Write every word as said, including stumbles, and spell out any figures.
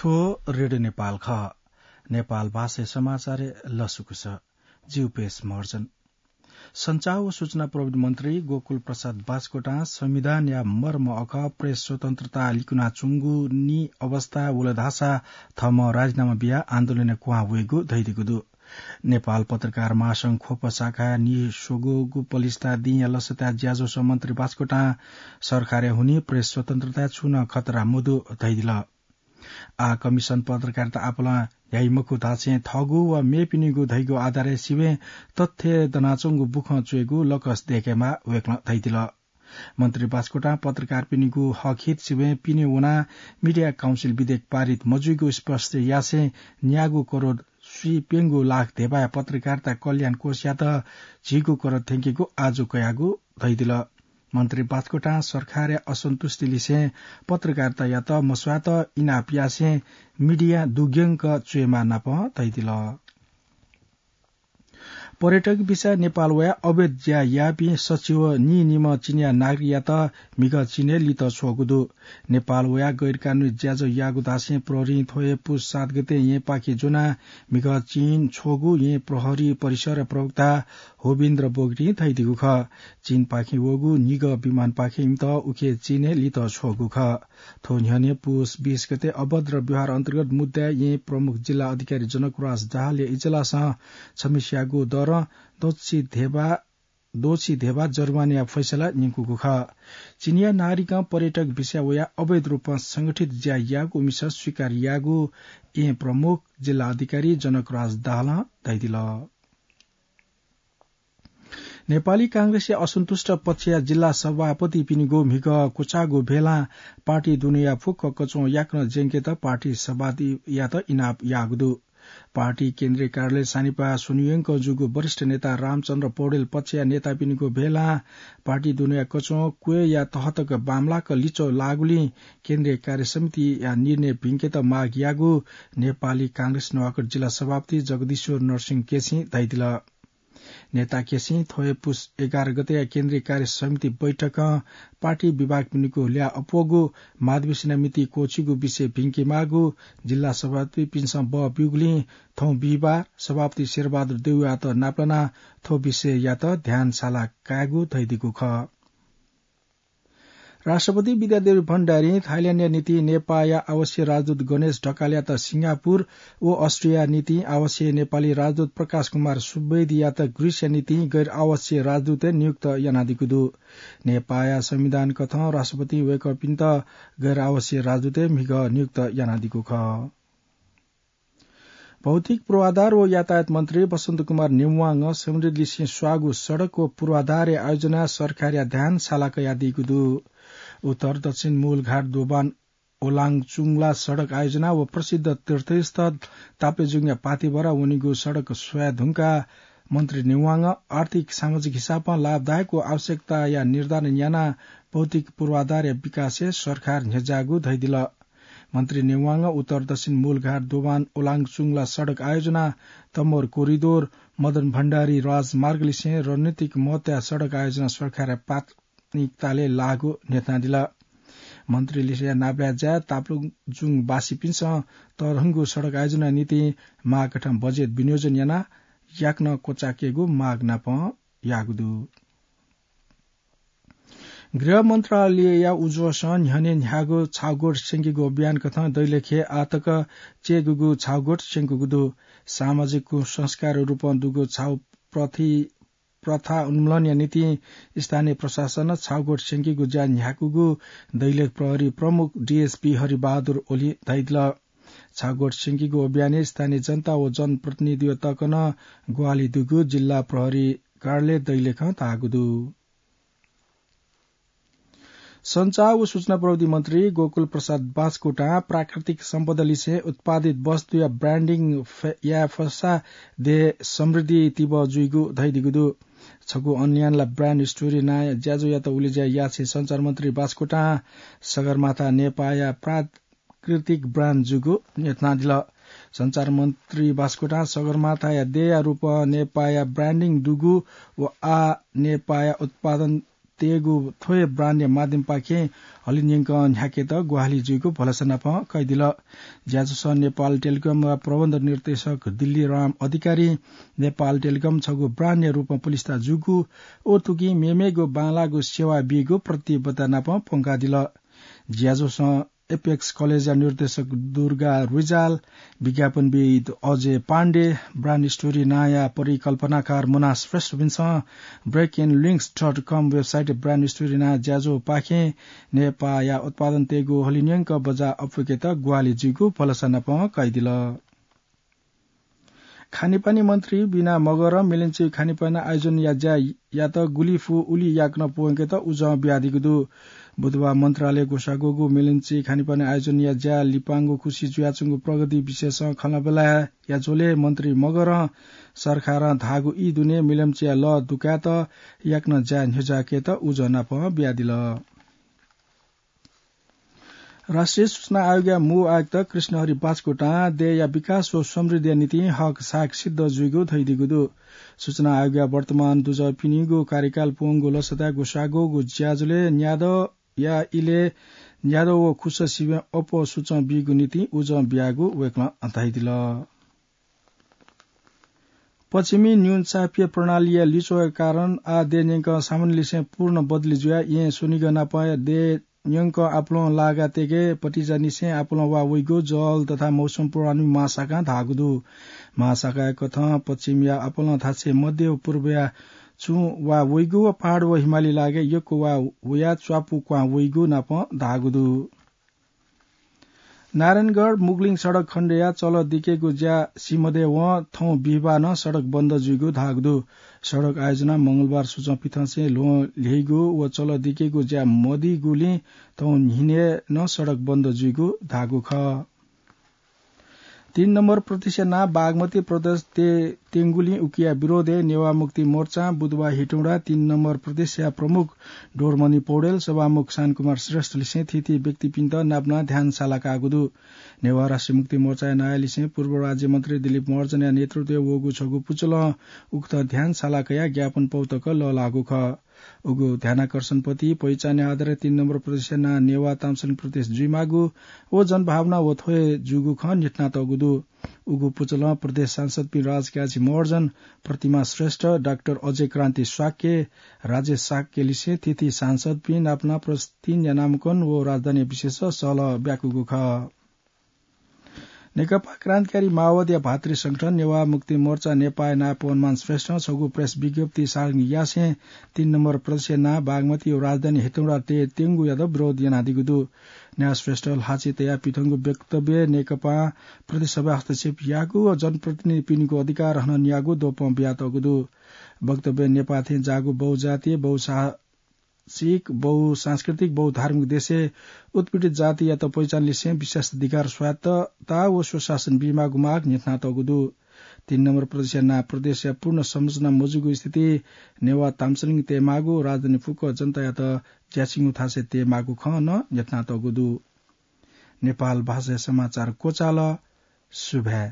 रेडियो नेपाल खः। नेपाल भाषाय् समाचारय् लसकुस। जि उपेश महर्जन। सञ्चार व सूचना प्रविधि मन्त्री गोकुल प्रसाद बास्कोटां संविधानया मर्म अखः प्रेस स्वतन्त्रता लिकुनाच्वंगु नि अवस्था वल धाःसा थःम्हं राजीनामा बियाः आन्दोलनय् क्वहां वयेगु धयादीगु दु। नेपाल पत्रकार महासंघ ख्वप शाखा नि स्वंगूगु पलिस्था दिंया लसताय् ज्याझ्वलय् मन्त्री बास्कोटां सरकारया हुनिं प्रेस स्वतन्त्रताय् छुं नं खतरा मदु धयादिल। आः कमिसन पत्रकारिता आपालं ह्याइ मखु धासें थःगु व मेपिनिगु धइगु आधारय् सिबें तथ्य दनाच्वंगु बुखँ च्वयेगु लकस दय्केमाः वय्कलं धयादिल। मन्त्री बास्कोटां पत्रकारपिनिगु हक हित सिबें पिने वनाः मिडिया काउन्सिल विधेयक पारित मजुइगु स्पष्ट यासें न्यागू करोड स्वीप्यंगू लाख धेबाया पत्रकारिता कल्याण कोषयात झिगू करोड थ्यंकेगु आजु कयागु धयादिल। मन्त्री बास्कोटां सरकारया असन्तुष्टि लिसें पत्रकारितायात मस्वात इनाप यासें मिडिया दुग्यंक च्वयेमाः नापं धयादिल। पर्यटक भिसाय् नेपाल वयाः अवैध ज्या याःपिं सच्छि व नीनिम्ह चिनियाँ नागरिकयात म्हिगः चीनय् लित छ्वःगु दु। नेपाल वयाः गैरकानुनी ज्याझ्वः याःगु धासें प्रहरीं थ्व हे पुस सात गते येँपाखे ज्वनाः म्हिगः चीन छ्वःगु येँ प्रहरी परिसरया प्रवक्ता होविन्द्र बोगटीं धयादीगु खः। चीनपाखें वःगु निगः विमानपाखें इमित उखे चीनय् लित छ्वःगु खः। थ्व न्ह्यःने पुस बीस गते अभद्र व्यवहार अन्तर्गत मुद्दाय् येँ प्रमुख जिल्ला अधिकारी जनकराज दाहालया इजलासं छम्हेसियागु दरं दोषी धेबा दोषी धेबा जरिवानाया फैसला न्यंकूगु खः। चिनियाँ नागरिकं पर्यटक भिसाय् वयाः अवैध रूपं संगठित ज्या याःगु उमिसं स्वीकार याःगु येँ प्रमुख जिल्ला अधिकारी जनकराज दाहालं धयादिल। नेपाली कांग्रेसया असन्तुष्ट पक्षया जिल्ला सभापतिपिनिगु म्हिगः क्वचाःगु भेलां पार्टी दुनेया फुक्क कच्वं याकनं ज्यंकेत पार्टी सभापतियात इनाप याःगु दु। पार्टी केन्द्रीय कार्यालय सानिपाः स्वन्हुयंक जूगु वरिष्ठ नेता रामचन्द्र पौडेल पक्षया नेतापिनिगु भेलां पार्टी दुनेया कच्वं क्वय्या तहतक बांमलाक लिच्वः लाःगुलिं केन्द्रीय कार्य समितिया निर्णय भिंकेत माग याःगु नेपाली कांग्रेस नुवाकोट जिल्ला सभापति जगदीश्वर नरसिंह केसीं धयादिल। नेता केसीं थ्व हे पुस एघार गतेया केन्द्रीय कार्य समिति बैठकं पार्टी विभागपिनिगु ल्याः अप्वःगु, महाधिवेशनया मिति क्वःछिगु विषय भिंकेमाःगु, जिल्ला सभापतिपिन्सं बः ब्यूगुलिं थौं बिहिबार सभापति शेरबहादुर देउवायात नापलानाः थ्व विषययात ध्यान साला कायेगु धयादीगु खः। राष्ट्रपति विद्यादेवी भण्डारीं थाइल्याण्डया निंतिं नेपाःया आवासीय राजदूत गणेश ढकालयात सिंगापुर व अष्ट्रियाया निंतिं आवासीय नेपाली राजदूत प्रकाश कुमार सुवेदीयात ग्रीसया निंतिं गैर आवासीय राजदूतय् नियुक्त यानादीगु दु। नेपाःया संविधान कथं राष्ट्रपतिं वय्कःपिन्त गैर आवासीय राजदूतय् म्हिगः नियुक्त यानादीगु खः। भौतिक पूर्वाधार व यातायात मन्त्री बसन्त कुमार नेवांगं समृद्धिलिसें स्वाःगु सडक व पूर्वाधारया आयोजनाय् सरकारया ध्यान साला कयादीगु दु। उत्तर दक्षिण मूलघाट दोभान ओलाङचुङला सडक आयोजना व प्रसिद्ध तीर्थस्थल ताप्लेजुङया पातिभरा वनीगु सडक स्वयाः धुंकाः मन्त्री नेवांगं आर्थिक सामाजिक हिसाबं लाभदायक व आवश्यकताया निर्धारण यानाः भौतिक पूर्वाधारया विकासय् सरकार न्ह्यज्याःगु धयादिल। मन्त्री नेवांगं उत्तर दक्षिण मूलघाट दोभान ओलाङचुङला सडक आयोजना, तमोर कोरिडोर, मदन भण्डारी राजमार्गलिसें रणनीतिक महत्वया सडक आयोजना सरकारया प्राथमिकतालय् लाःगु न्ह्यथनादिल। मन्त्रीलिसेया नापलाये ज्याय् ताप्लेजुङवासीपिन्सं तःधंगु सडक आयोजनाया निंतिं माःकथं बजेट विनियोजन यानाः याकनं क्वचाकेगु माग नापं याःगु दु। गृह मन्त्रालयया उजुवसं न्ह्यःने न्ह्याःगु छाउगोठ स्यंकेगु अभियान कथं दैलेखय् आःतक चय्‌गूगु छाउगोठ स्यंकूगु दु। सामाजिक कुसंस्कार रूपं दुगु छाउ प्रथि-, प्रथा उन्मूलनया निंतिं स्थानीय प्रशासनं छाउगोठ स्यंकेगु ज्या न्ह्याकूगु दैलेख प्रहरी प्रमुख डीएसपी हरिबहादुर ओलीं धयादिल। छाउगोठ स्यंकेगु अभियानय् स्थानीय जनता व जनप्रतिनिधितय्‌त नं ग्वाहालि दुगु जिल्ला प्रहरी कार्यालय दैलेखं धाःगु दु। सञ्चार व सूचना प्रविधि मन्त्री गोकुल प्रसाद बास्कोटां प्राकृतिक सम्पदालिसें उत्पादित वस्तुया branding फे-, याये फसा देय् समृद्धि तिबः जुइगु धयादीगु दु। छगू online ला brand story नांया ज्याझ्वःयात उलेज्या यासें सञ्चार मन्त्री बास्कोटां सगरमाथा नेपाःया प्रा-, प्राकृतिक brand जूगु न्ह्यथनादिल। सञ्चार मन्त्री बास्कोटां सगरमाथाया देय्‌या रूपं नेपाःया branding दुगु व आः नेपाःया उत्पादन तयेगु थ्व हे ब्रान्डया माध्यमपाखें हलिंन्यंकं न्ह्याकेत ग्वाहालि जुइगु भलसा नापं कयादिल। ज्याझ्वलय् नेपाल टेलिकमया प्रबन्ध निर्देशक दिल्ली राम अधिकारी नेपाल टेलिकम छगू ब्रान्डया रूपं पुलिस्था जूगु, व तुकिं मेमेगु बांलाःगु सेवा बीगु प्रतिबद्धता नापं प्वंकादिल। ज्याझ्वलय् एपेक्स कलेजया निर्देशक दुर्गा रिजाल, विज्ञापनविद अजय पाण्डे, ब्रान्ड स्टोरी नांया परिकल्पनाकार मुना श्रेष्ठपिन्सं break in links dot com website brand story नां ज्याझ्वःपाखें नेपाःया उत्पादन तयेगु हलिंन्यंक बजार अप्वय्केत ग्वाहालि जुइगु भलसा नापं कयादिल। खानेपानी मन्त्री बिना मगरं मिलंचि खानेपानी आयोजनया ज्यायात गुलि फु उलि याकनं प्वंकेत उजं बियादीगु दु। बुधबार मन्त्रालय ग्वसाः ग्वःगु मिलंचि खानेपानी आयोजनया ज्या लिपांगु खुसि जुयाच्वंगु प्रगति विषयसं खँल्हाबल्हा याः झ्वलय् मन्त्री मगरं सरकारं धाःगु ई दुने मिलंचिया लः दुकायेत याकनं ज्या न्ह्यज्याकेत उजं नापं बियादिल। राष्ट्रिय सूचना आयोगया मू आयुक्त कृष्णहरि बास्कोटां देय्‌या विकास व समृद्धिया निंतिं हक साहक सिद्ध जुइगु धयादीगु दु। सूचना आयोगया वर्तमान दुजःपिनिगु कार्यकाल प्वंगु लसताय् ग्वसाः ग्वःगु ज्याझ्वलय् न्यादँया इलय् न्यादँ व खुसः सिबें अप्वः सुचं बीगु निंतिं उजं बियागु वय्‌कलं धयादिल। पश्चिमी न्यूनचापीय प्रणालीया लिच्वःया कारण आः देय्‌न्यंकं सामान्यलिसें पूर्ण बदली जुयाः येँ स्वनिगः नापं देय्‌न्यंकं आपालं लागा तयेके पतिजानिसें आपालं वा वइगु जल तथा मौसम पूर्वानुमान महाशाखां धाःगु दु। महाशाखाया कथं पश्चिमया आपालं धात्थें मध्य व पूर्वया छुं वा वइगु व पहाड व हिमाली लागाय् यक्व वा वयाः च्वापु क्वां वइगु नापं धाःगु दु। नारायणगढ मुगलिङ सडक खण्डया चलः दिकेगु ज्या सीमदय्‌वं थौं बिहिबार नं सडक बन्द जुइगु धाःगु दु। सडक आयोजना मंगलबार सुचं पिथंसें ल्वहं ल्ह्यइगु व चलः दिकेगु ज्या मदीगुलिं थौं न्हिनय् नं सडक बन्द जुइगु धाःगु खः। तीन नम्बर प्रदेशया नां बागमती प्रदेश ते-, तेंगुलिं उकिया विरोधय् नेवाः मुक्ति मोर्चां बुधबार हेटौँडा तीन नम्बर प्रदेशया प्रमुख डोरमणि पौडेल, सभामुख शान्तकुमार श्रेष्ठलिसें थीथी व्यक्तिपिन्त नापनाः ध्यान साला काःगु दु। नेवाः राष्ट्रिय मुक्ति मोर्चाया नायःलिसें पूर्व राज्यमन्त्री दिलीप महर्जनया नेतृत्वय् वःगु छगू पुचलं उकथं ध्यान साला कयाः ज्ञापन पौ तक लःल्हाःगु खः। उगु ध्यानाकर्षण पति पहिचानया आधारय् तीन नम्बर प्रदेशया नां नेवाः ताम्सलिङ प्रदेश जुइमाःगु व जनभावना व थ्व हे जूगु खँ न्ह्यथनातःगु दु। उगु पुचलं प्रदेश सांसदपिं राजकाजी महर्जन, प्रतिमा श्रेष्ठ, डाक्टर अजय क्रान्ति शाक्य, राजेश शाक्यलिसें थीथी सांसदपिं नापनाः प्रदेश तीनया नामांकन व राजधानी विषयस सहलह ब्याकूगु खः। नेकपा क्रान्तिकारी माओवादीया भातृ संगठन नेवाः मुक्ति मोर्चा नेपाःया नायः पवनमान श्रेष्ठं छगू प्रेस विज्ञप्ति सार्वजनिक यासें तीन नम्बर प्रदेशया नां बागमती व राजधानी हेटौँडा ते-, तेंगुयात विरोध यानादीगु दु। नेवाः श्रेष्ठ ल्हाःचिं तयाः पिथंगु वक्तव्यय् नेकपां प्रदेश सभा हस्तक्षेप याःगु व जनप्रतिनिधिपिनिगु अधिकार हनं न्याःगु द्वपं बियातःगु दु। वक्तव्यय् नेपाः थें जाःगु बहुजातीय, बहुसा-, बहुभाषिक, बहुसांस्कृतिक, बहुधार्मिक देशय् उत्पीडित जातियात पहिचानलिसें विशेषाधिकार, स्वायत्तता व स्वशासन बीमाःगु माग न्ह्यथनातःगु दु। तीन नम्बर प्रदेशया नां प्रदेशया पूर्ण संरचना मजूगु स्थिति नेवाः ताम्सलिङ तयेमाःगु, राजधानी फुक्क जनतायात ज्याछिंगु थासय् तयेमाःगु खँ नं न्ह्यथनातःगु दु। नेपाल भाषाया समाचार क्वचाल। सुभाय्।